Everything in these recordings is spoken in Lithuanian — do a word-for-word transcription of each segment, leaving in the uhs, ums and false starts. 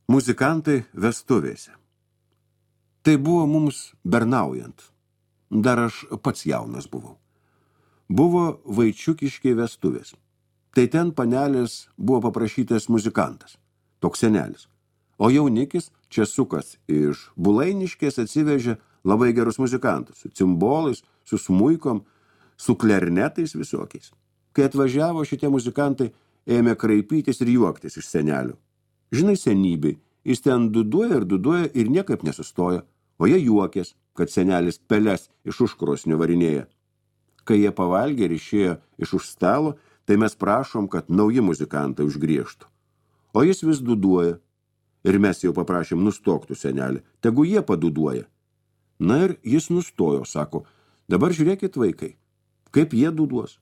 Muzikantai vestuvėse. Tai buvo mums bernaujant. Dar aš pats jaunas buvau. Buvo Vaičiukiškiai vestuvės. Tai ten panelės buvo paprašytas muzikantas, toks senelis. O jaunikis, Česukas iš Bulainiškės, atsivežė labai gerus muzikantus, su cimbolais, su smuikom, su klernetais visokiais. Kai atvažiavo, šitie muzikantai ėmė kraipytis ir juoktis iš senelio. Žinai, senybei, jis ten duduoja ir duduoja ir niekaip nesustoja, o jie juokės, kad senelis peles iš užkrosnio varinėja. Kai jie pavalgė ir išėjo iš už stalo, tai mes prašom, kad nauji muzikantai užgriežtų. O jis vis duduoja. Ir mes jau paprašėm nustoktų senelį, tegu jie paduduoja. Na ir jis nustojo, sako, dabar žiūrėkit vaikai, kaip jie duduos.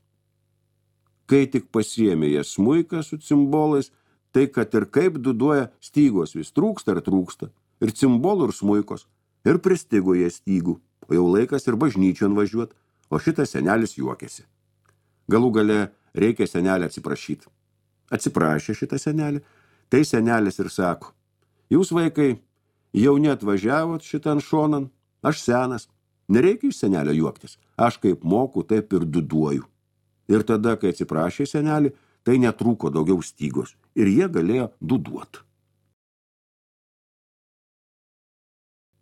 Kai tik pasiėmė jie smuiką su cimbolais, tai kad ir kaip duduoja, stygos vis trūksta ir trūksta, ir cimbolų ir smuikos, ir pristigo jie stygų, o jau laikas ir bažnyčion važiuot, o šitas senelis juokėsi. Galų gale reikia senelį atsiprašyti. Atsiprašė šitą senelį, tai senelis ir sako, jūs vaikai jau neatvažiavot šitan šonan, aš senas, nereikia iš senelio juoktis, aš kaip moku, taip ir duduoju. Ir tada, kai atsiprašė senelį, tai netrūko daugiau stygos ir jie galėjo duduot.